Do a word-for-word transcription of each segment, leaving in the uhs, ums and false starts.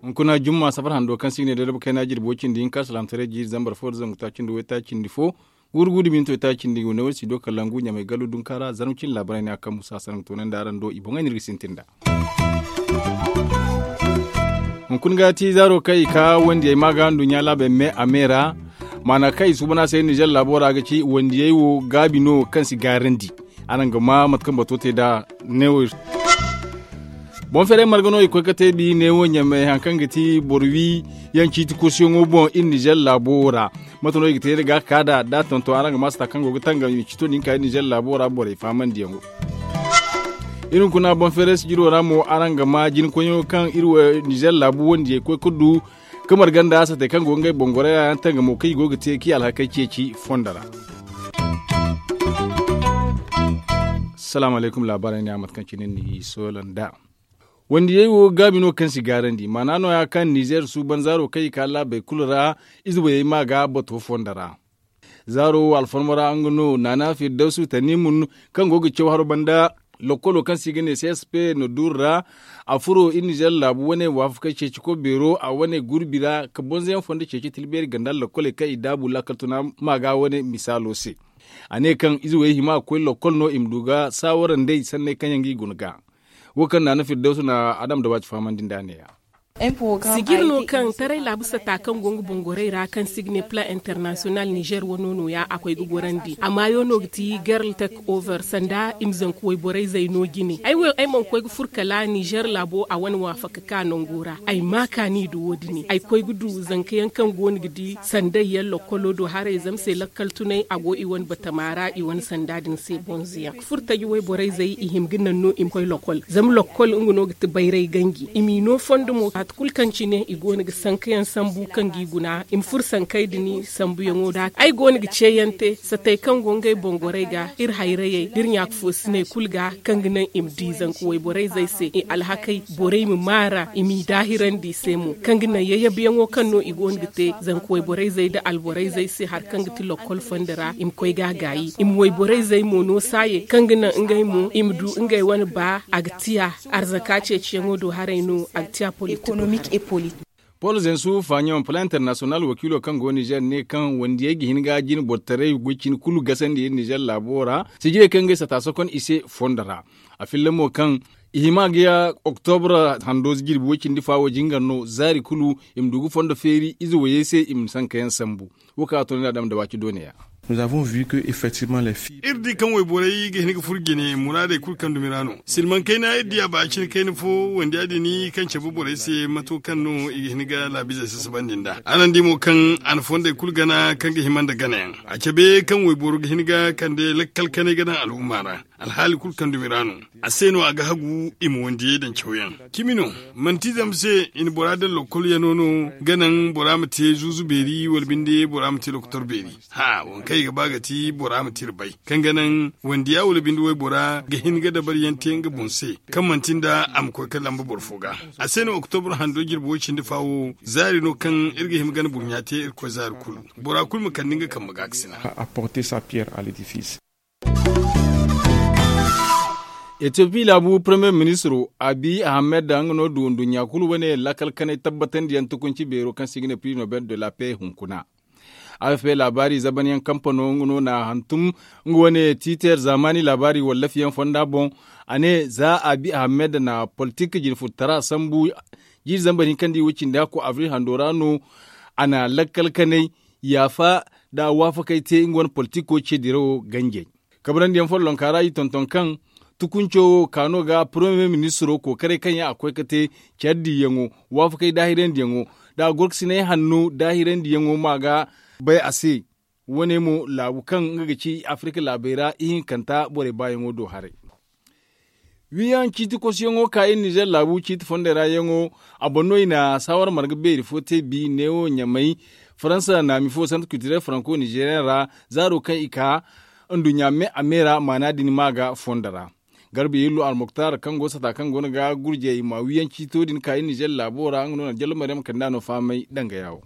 Hunkuna jumma safar hando kaŋ se i ga ne day da bukayna jirbi way cindi hinka salaamtaray jiiri zambar fo da zangu taaci nda way taaci nda fo. Guuru guuru da minto taaci nda i go ne way si do kalangu ɲamay gallu dunkaara zarma cindi laabaray ne a kaŋ musa sanaŋ toonandi araŋ do i boŋey no iri ga sintin nd'a. Hunkuna ga ti zaaro kaŋ i ka wandiyey ma ga nduɲɲa laabey me a me ra. Maana kaŋ i suuban a se nizer laabo ra ga ci wandiyey wo gaabi no kaŋ si gaarandi. Araŋ ga ma mate kaŋ bato te nd'a neewo. Boŋ feeray marga no i koy ga te bi neewo ɲamay hari kaŋ ga ti boro wi yaŋ ciiti kosuyaŋo boŋ iri nizer laabo wo ra. Mate no i ga te iri ga ka nd'a da a tonton araŋ ga ma sata kaŋ go ga tangam i ma ciito din ka iri nizer laabo ra borey faamandiyaŋo. Iri hunkuna boŋ feeray sijiro ra mo araŋ ga ma jina koyyaŋo kaŋ iri wo nizer laabu wandiyey koy ga du. Kamar ganda satey kaŋ go ga ngey boŋ gorey ra yaŋ tangamo kaŋ i go ga te kaŋ i alhakey ceeci fondo ra. Salaamu alaykum laabaarey ne a mate kaŋ cine ni soola nd'a. Wandiyey wo gaabi no kaŋ si gaarandi maana nooya kaŋ nizer suuban zaaro kaŋ i ka laabey kulu ra. Ize wayey ma ga bato fondo ra. Zaaro wo alfarma ra nga no naana firdawsu tanimun kaŋ go ga caw haro banda. Lokkolo kaŋ se i ga ne csp na duuru ra. A furo iri nizer laabu wane waafakey ceeci koy beero a wane gurbi ra ka bonzoyaŋ fondo ceeci tilbeeri ganda lokkoley kaŋ i daabu lakkal tuna ma ga wane misaalo se. A ne kaŋ ize wayey hima ga koy lokkol no i ma du ga saawara nd'ey sanney kaŋ yaŋ ga i guna ga. Wo kaŋ naana firdawsu na adam da waaci fahamandi nd'a ne- ya. Sijir no kaŋ taray laabu sata kaŋ go nga boŋ gorey ra kaŋ se i ga ne plan international nizer wano nooya a koy ga gorandi a maayo no ga ti gerl tek over sanda i ma zanku wayborey zay no jine ay wo ay mana koy ga furo kala nizer laabo a wane waafaka ka nango ra ay ma kaani nda wo- din ay koy ga du zanka yaŋ kaŋ go no ga di sanday yaŋ lokkolo do haray zama se lakkal tunay a go i wane batama ra i wane sanda din se bonzo yaŋ ga furo taji wayborey zay i hima ga naŋ no i ma koy lokkol zama lokkol nga no ga ti bayray ganji i m'i no fondo mo waati kulu kaŋ cine i go no ga sanka yaŋ sambu kaŋ ga i guna i ma furo sankey din sambuyaŋo da ay go no ga ce yaŋ te satey kaŋ go ngey boŋ gorey ga iri hayrayey da iri ɲaaka foosiney kulu ga kaŋ ga naŋ i ma di zanka wayborey zay se i alhakey borey ma maara i m'i daahirandi i se mo kaŋ ga naŋ yayyabuyaŋo kaŋ no i go no ga te zanka wayborey zay nda alborey zay se hari kaŋ ga ti lokkol fondo ra i ma koy ga a gaayi i ma wayborey zay mo no saayey kaŋ ga naŋ ngey mo i ma du ngey wane ba a ga tiya arzaka ceeciyaŋo do haray no a ga tiya politik. Pol zensu faɲon plan international wakiilo kaŋ go nizer ne kaŋ wandiyey ga hin ga jine boro taray goy cine kulu gasandi iri nizer laabo ra sijirey kaŋ ga ay sata sokon i se fondo ra. A filla mo kaŋ i hima ga ya oktobra hando jirbi way cindi fa wo jingar no zaari kulu i ma du ga fondo feeri ize wayey se i ma sanka yaŋ sambu. Wo kaŋ a to no iri da waaci doone ya. Iri di kaŋ wayborey ga hin ga furo jine muraadey kulu kaŋ dumi ra no silmaŋ kayna iri di a ba cine kayna fo wandi ya- din kaŋ cabe borey se mato kaŋ no i ga hin ga laabizey sasabandi nd'a araŋ di mo kaŋ a na fondey kulu gana kaŋ ga hima nda ganayaŋ a cabe kaŋ wayboro ga hin ga kande lakkal kanay ga daŋ al'umma ra alhaali kulu kaŋ dumi ra no a se no a ga hagu i ma wandiyey daŋ cawyaŋ cimi no manti zama se i na bora daŋ lokol yano no ga naŋ bora ma te zuuzu beeri wala binde bora ma te lokotor beeri. Haa waŋ kaŋ i ga ba ga ti bora ma te iri bay kaŋ ga naŋ wandiya wala binde waybora ga hin ga dabariyaŋ te nga boŋ se kaŋ manti nda a ma koy ga lamba boro fo ga a se no oktobra hando jirbi way cindi fa wo zaari no kaŋ iri ga hima gana burɲa te irkoy zaari kulu bora kulu ma kande nga kambe ga ga sina. Etiyopi laabu premier ministro abi ahamed nga no du nduɲɲa kulu wane lakkal kanay tabbatandiyaŋ tukunci beero kaŋ se i ga ne prix nobel de la paix hunkuna. Afp laabaari zabanyaŋ kampano nga no na hantum nga wane tiiter zaamaani laabaari wallafiyaŋ fonda boŋ. A ne za abi ahamed na politik jinfurtara sambu jiiri zambar hinka nda i wo cindi hakko abril hando ra no. A na lakkal kanay yaafa nda waafakey te nga wane politiko ce dirawo ganjey. Kabrandi yaŋ follonka ra i tonton kaŋ tukunco wo kaano ga premier ministro kookaray kaŋ yaŋ a koy ga te care diiyaŋo waafakey daahirandi yaŋo nda gorkasinay hanno daahirandi yaŋo ma ga bay a se. Wane mo laabu kaŋ nga ga ci afirika laabey ra ihinkanta borey baayaŋo do haray. Wiyaŋ ciiti kosuyaŋo ka iri nizer laabu ciiti fondey ra yaŋo a boŋ no i na saawara marga beeri fo te bi neewo ɲamay faransa naami fo santa kulturel faranko nizeriyaŋ ra zaaro kaŋ i ka nduɲɲa me a me ra maana din ma ga fondo ra. Garba yello almuktar kaŋ go sata kaŋ go no ga gurjey ma wiyaŋ ciito din ka iri nizer laabo ra nga no na jallo maryam kanda no fahamay danga yaawo.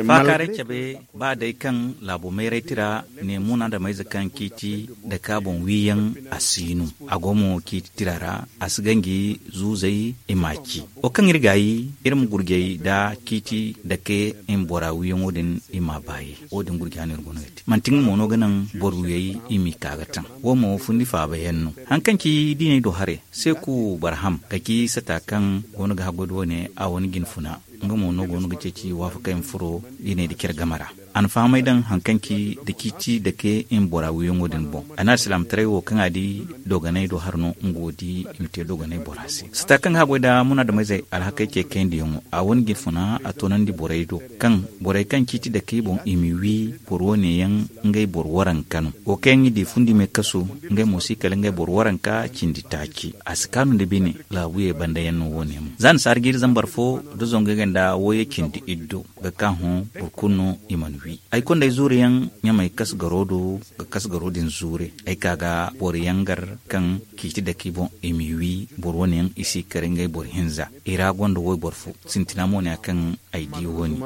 Faakaaray cabe ba day kaŋ laabo mayray tira ne munaadameyze kaŋ ciiti dake a boŋ wiiyaŋ a si no. A go mo ciiti tira ra a si ganji zuuzey i m'a ci. Wo kaŋ iri gaayi iri ma gurjey nda ciiti dake i ma bora wiiyaŋo din i m'a baayi. Wo- din gurja no iri go no ga te manti nga mo no ga naŋ boro wiyey i m'i ka ga taŋ. Wo mo fundi faaba yaŋ no. Hari kaŋ ci diiney do haray seeku barham ga ci sata kaŋ go no ga haggoy da wo- ne a wane jinfuna. Nga mo no go no ga ceeci waafakey ma furo diiney nda care game ra. A na fahamay daŋ hari kaŋ ci da ciiti dake i ma bora wiiyaŋo din boŋ a ne alsilaamataray wo kaŋ a di dooganey do hari no nga wo di i ma te dooganey bora se sata kaŋ ga haggoy nda munaadameyzey alhakey ce kayndiyaŋo a wane jinfuna a toonandi borey do kaŋ borey kaŋ ciiti dake i boŋ i ma wi boro wo- ne yaŋ ngey boro waranka no. Wo kaŋ yaŋ i di fundi me kasu ngey mo si kala ngey boro waranka cindi taaci a si kaanu nda bine. Laabuye banda yaŋ no wo- ne mo za ni saara jiiri zambar fo nda zangu yaŋ ganda wooyey cindi iddo ga ka hõ boro kulu no i mana wi. Ay kondey zuure yaŋ ɲamey kasgaro do ga kasgaro din zuure ay ka ga boro yaŋ gar kaŋ ciiti dake i boŋ i m'i wi. Boro wo- ne yaŋ i si kare ngey boro hinza i ra gonda wayboro fo sintina mo ne ya kaŋ ay di wo- ne.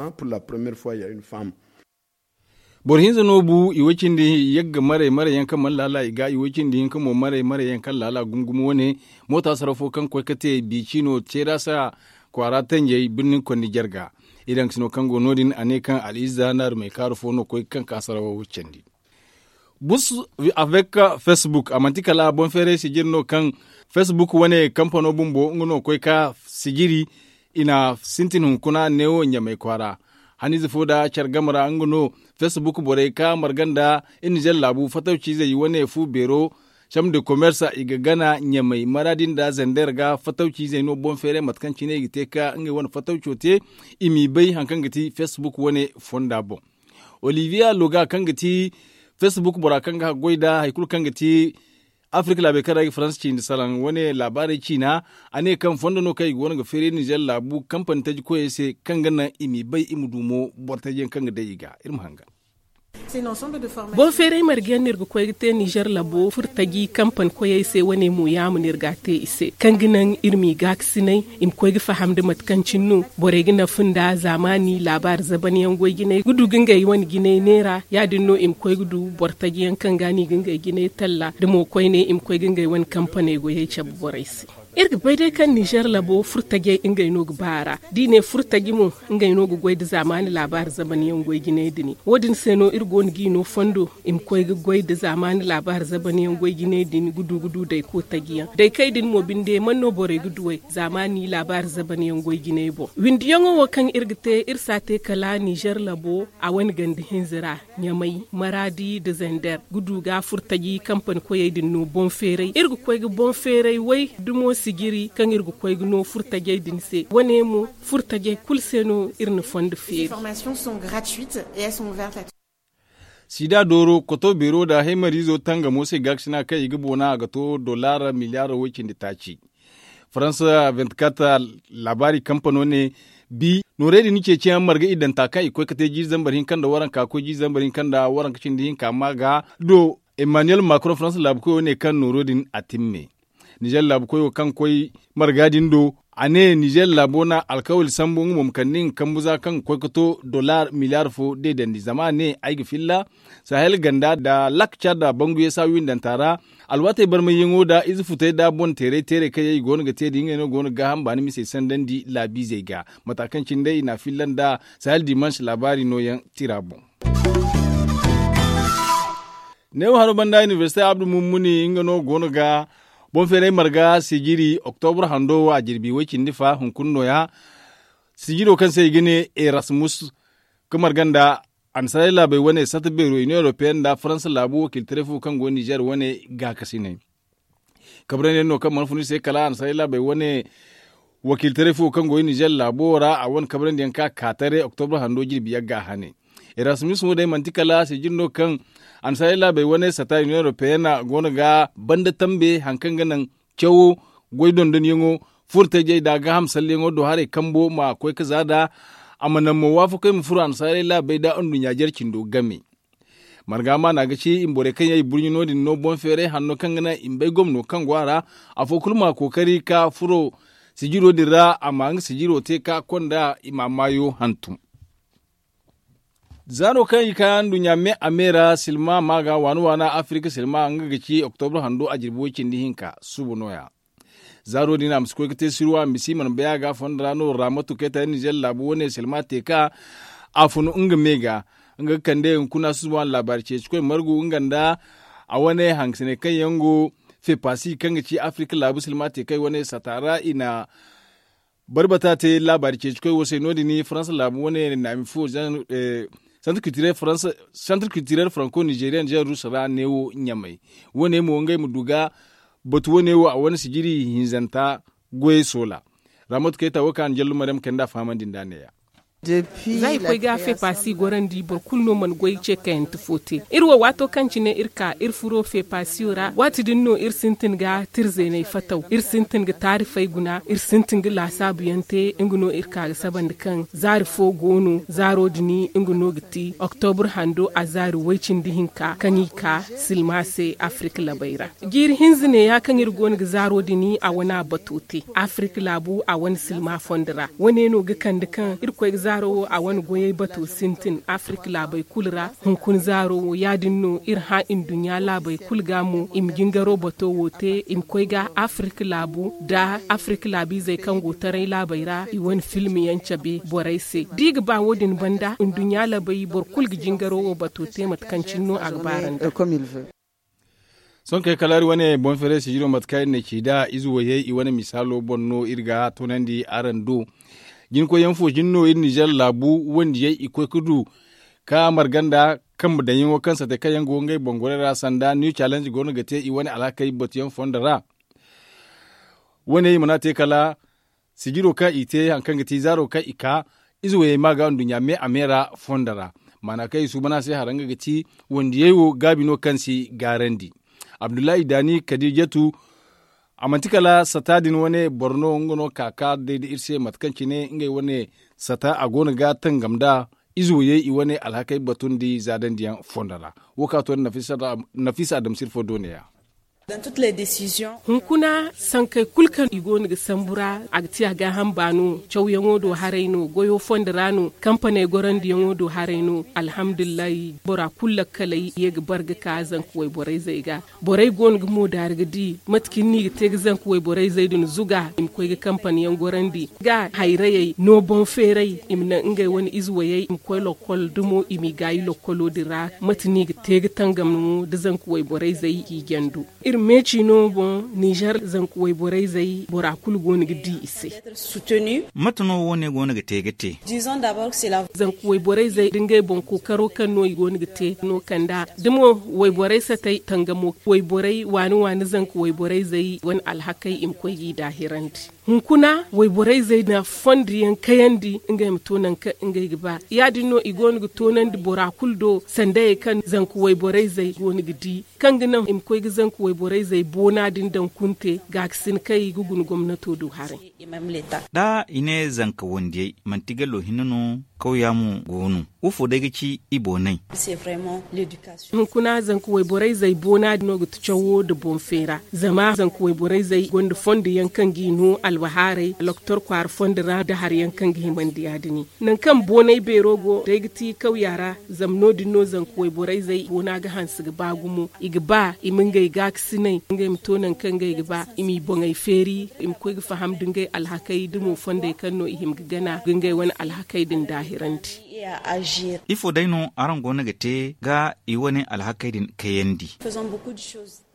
Boro hinza no bu i way cindi yagga maray maray yaŋ kaŋ mana laala i ga i way cindi hinka mo maray maray yaŋ kaŋ laala gumo gumo wo- ne. Moota saraw fo kaŋ koy ga te bici no ceerasa kwaara tanjey birnin kondi jarga. Iri haŋ ga si no kaŋ go no- din a ne kaŋ al'izza naarumey kaaru fo no koy ga kaŋ ka saraw candi. Bus avec facebook a manti kala boŋ feeray sijiri no kaŋ facebook wane kampano bumbo nga no koy ga ka sijiri. I na sintin hunkuna neewo ɲamay kwaara haniize fo nda care game ra nga no facebook borey ka marga nda iri nizer laabu fatawciizey wane fu beero. Chambre de commerce i ga gana ɲamay maraadi nda zander ga fatawciizey no boŋ feeray mate kaŋ cine i ga te ka ngey wane fatawco te. I m'i bay hari kaŋ ga ti facebook wane fonda boŋ. Olivier loga kaŋ ga ti facebook bora kaŋ ga haggoy nda hari kulu kaŋ ga ti afirka laabey kaŋ ra i ga faransa ciindi salaŋ wane laabaarey ciina. A ne kaŋ fondo no kaŋ i go no ga feeri nizer laabu kampani taji koyey se kaŋ ga naŋ i m'i bay i ma du mo boro taji yaŋ kaŋ ga day i ga iri ma hangan. Boŋ feeray marga yaŋ no iri ga koy ga te nizer labo furtaji kampani koyey se wane mo yaama no iri ga a te i se kaŋ ga naŋ iri m'i gaakasinay i ma koy ga faham nda mate kaŋ cine no borey ga nafa nda zaamaani laabaari zaban yaŋ goy jinay ga du ga ngey wane jinay neera ya- din no i ma koy ga du boro taji yaŋ kaŋ ga no i ga ngey jinay talla da mo koyne i ma koy ga ngey wane kampaney goyey cabe borey se. Iri ga bay day kaŋ nizer labo furtajey ngey no ga ba a ra da i ne furtaji mo ngey no ga goy nda zaamaani laabaari zaban yaŋ goy jinay din. Wo- din se no iri go no g'i no fondo i ma koy ga goy nda zaamaani laabaari zaban yaŋ goy jinay din ga du ga du dayko taji yaŋ daykey din mo binde man no borey ga duwey zaamaani laabaari zaban yaŋ goy jinay boŋ. Windiyaŋo wo kaŋ iri ga te iri si a te kala nizer labo a wane ganda hinza ra ɲamay maraadi nda zander ga du ga furtaji kampani koyey din no boŋ feeray iri ga koy ga boŋ feeray way dumo sijiri kaŋ iri ga koy ga no furtajey din se wane mo furtajey kulu se no iri na fondo feeri. Sida dooro koto beero nda haymariizo tangamo se gaakasina kaŋ i ga boona a ga to dollar miliyaaro way cindi taaci. Faransa vingt-quatre laabaari kampano ne bi noorey din ceeciyaŋ marga iddanta kaŋ i koy ga te jiiri zambar hinka nda waranka koy jiiri zambar hinka nda waranka cindi hinka ma ga do emmanuel macron faransa laabukoyo ne kaŋ nooro din a timme. Nizer laabukoyo kaŋ koy marga din do a ne nizer laabo na alkawali sambu nga mo ma kande nga kambu za kaŋ ga koy ga to dollar miliyaar fo deedandi zama a ne ay ga filla sahel ganda nda lak cada banguye saawiindanta ra. Alwaatey barmayyaŋo nda ize futey nda boŋ teeray teeray kaŋ yaŋ i go no ga te da ngey no go no ga gaaham baani misey sandandi laabiizey ga mata kaŋ cine day i n'a filla nda sahel dimanche laabaari nooyaŋ tira boŋ. Neewo haro banda inibersite abdu mummuni nga no go no ga boŋ feeray marga sijiri oktobra hando wo a jirbi way cindi fa hunkuna nooya. Sijiro kaŋ se i ga ne erasmus ga marga nda annasaarey laabey wane sata beero iniyoŋ europeyen nda faransa laabu wakiilitaray fo kaŋ go nizer wane gaakasinay. Kabrandi yaŋ no kaŋ mana fun iri se kala annasaarey laabey wane wakiilitaray fo kaŋ go nizer laabo ra a wane kabrandi yaŋ ka kaataray oktobra hando jirbi yagga hane. Erasmus wo day manti kala sijiri no kaŋ annasaarey laabey wane sata iniyoŋ europeyen go no ga banda tambe hari kaŋ ga naŋ cawo goy dondonyaŋo furtajey nda gaaham salleyaŋo do haray kambo ma koy ga za nd'a. A ma naŋ mo waafakey ma furo annasaarey laabey nda anduɲɲa jare cindo game. Marga maana ga ci i ma borey kaŋ yaŋ i burɲi no- din no boŋ feeray hanno kaŋ ga naŋ i ma bay gomno kaŋ go a ra. Afo kulu ma kookari ka furo sijiro din ra a ma nga sijiro te ka konda i ma maayo hantum. Zaaro kaŋ i ka nduɲɲa me a me ra silma ma ga waana waana afirika silma nga ga ci oktobro hando a jirbi way cindi hinka suuba no- ya. Zaaro din a ma si koy ga te sirwa a ma si mana bay a ga a fondo ra no raamatu kayta nizer laabu wane silma te ka a funu nga me ga nga ga kande hunkuna suuba wane laabaari ceeci koy margu nga nda a wane hangasiney kaŋ yaŋ go feepaasi kaŋ ga ci afirika laabu silma te kay wane sata ra i na barbata te laabaari ceeci koy wo se no- din faransa laabu wane naami fo santre kiltirel faransa santre kiltirel faranko nizeriyan jean rusa ra neewo ɲamay wane mo ngey ma du ga batu wane wo a wane sijiri hinzanta goyey soola. Raamatu kayta wo kaŋ a na jallu maryam kayna nda a fahamandi nda a ne- ya. Za i koy ga feepaasi gorandi boro kulu no mana goy ce kayante fo te iri wo waato kaŋ cine iri ka iri furo feepaasiyo ra waati din no iri sintin ga tirzeeney fataw iri sintin ga taarifey guna iri sintin ga laasaabu yaŋ te nga no iri ka ga sabandi kaŋ zaari fo go no zaaro din nga no ga ti oktobur hando a zaari way-cindi hinka kaŋ i ka silma se afirika labey ra. Jiiri hinza neeya kaŋ iri go no ga zaaro din a wane a bato te afirika laabu a wane silma fondo ra wane no ga kande kaŋ iri koy ga zaaro wo a wane goyey bato sintin afirika laabey kulu ra. Hunkuna zaaro wo ya- din no iri hã nduɲɲa laabey kulu ga mo i ma jingaro bato wo te i ma koy ga afirika laabu nda afirika laabiizey kaŋ go taray laabey ra i wane filmiyaŋ cabe borey se da i ga ba wo- din banda nduɲɲa laabey boro kulu ga jingaro wo bato te mate kaŋ cine no a ga baarandi. Sohõ kay kala iri wane boŋ feeray sijiro mate kaŋ iri na ci nd'a ize wayey i wane misaalo boŋ no iri ga toonandi araŋ do. Jinkoyyaŋ fo jine no iri nizer laabu wandiyey i koy ga du ka marga nda kambe daŋyaŋo kaŋ sate kaŋ yaŋ go ngey boŋ gorey ra sanda new challenge go no ga te i wane alhakey batuyaŋ fondo ra. Wane i mana te kala sijiro kaŋ i te hari kaŋ ga ti zaaro kaŋ i ka ize wayey ma ga nduɲɲa me a me ra fondo ra. Maana kaŋ i suuban a se hara nga ga ti wandiyey wo gaabi no kaŋ si gaarandi. Abdullahi daani kadijatu a manti kala sata din wane boro no nga no ka ka day da iri se mate kaŋ cine ngey wane sata a go no ga tangam nd'a ize wayey i wane alhakey batundi zaadandiyaŋ fondo ra. Wo kaŋ a to nafisa adamsir fo do ne- ya. Hunkuna sankey kulu kaŋ i go no ga sambu ra a ga ti a gaaham baano cawyaŋo do haray no goyo fondo ra no kampaney gorandiyaŋo do haray no. Alhamdulillahi bora kulu lakkaley ye ga bar ga ka zanka wayborayzey ga. Borey go no ga moodaari ga di mate kaŋ ni ga te ga zanka wayborayzey din zuga i ma koy ga kampanyaŋ gorandi ga hayrayey no boŋ feeray i ma naŋ ngey wane ize wayey i ma koy lokkol dumo i m'i gaayi lokkolo din ra. Mate no i ga te ga tangam mo da zanka wayborayzey i jandu iri meeci no boŋ nizer zanka wayborayzey bora kulu go no ga di i se. Mate no wo- ne go no ga te ga te? Zanka wayborayzey da ngey boŋ kookaro kaŋ no i go no ga te no kand'a da mo wayborey satey tangamo wayborey waani waani zanka wayborayzey wane alhakey i ma koy g'i daahirandi. Hunkuna wayborayzey na fondo yaŋ kayandi ngey ma to nangu kaŋ ngey ga ba ya- din no i go no ga toonandi bora kulu do sandayey kaŋ zanka wayborayzey go no ga di kaŋ ga naŋ i ma koy ga zanka wayborayzey boona din daŋ kunte gaakasin kaŋ i ga guna gomnato do haray. Da i ne zanka wandiyey manti gallo hinne no kawya mo go no? Wo fo day ga ci i boonay? Hunkuna zanka wayborayzey boona no ga ti cawo nda boŋ feera zama zanka wayborayzey gonda fondo yaŋ kaŋ g'i no albahaaray loktor kwaara fondo ra nda hari yaŋ kaŋ ga himandi ya- din. Nangu kaŋ boonay beero go day ga ti kawya ra zama no- din no zanka wayborayzey boona ga hanse ga ba gumo i ga ba i ma ngey gaakasinay ngey ma to nangu kaŋ ngey ga ba i m'i boŋey feeri i ma koy ga faham da ngey alhakey da mo fondey kaŋ no i hima ga gana ga ngey wane alhakey din daahirandi. Ifo day no araŋ go no ga te ga i wane alhakey din kayandi?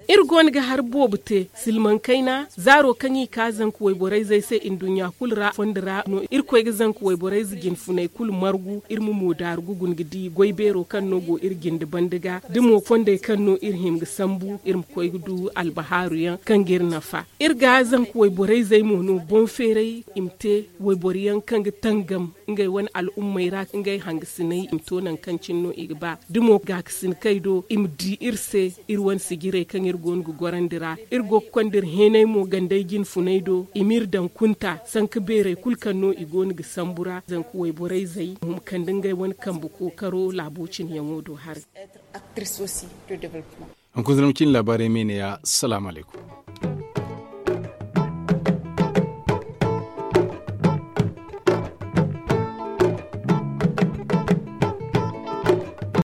Iri go no ga hari boobo te silmaŋ kayna zaaro kaŋ i ka zanka wayborayzey se nduɲɲa kulu ra fondo ra no iri koy ga zanka wayborayze jinfuney kulu margu iri ma moodaaru ga guna ga di goy beero kaŋ no go iri jinde banda ga da mo fondey kaŋ no iri hima ga sambu iri ma koy ga du albahaaru yaŋ kaŋ ga iri nafa. Iri ga zanka wayborayzey mo no boŋ feeray i ma te wayboro yaŋ kaŋ ga tangam ngey wane al'ummey ra ngey hangasiney i ma to nangu kaŋ cine no i ga ba da mo gaakasinkey do i ma di iri se iri wane sijirey kaŋ iri go no ga gorandi ra. Iri go ga konda iri heenay mo gandey jinfuney do i m'iri daŋ kunta sanka beerey kulu kaŋ no i go no ga sambu ra zanka wayborayzey ma huma kande ngey wane kambe kookaro laabo cine yaŋo do haray. Hunkuna zama cine laabaarey me ne ya salaamu alaykum.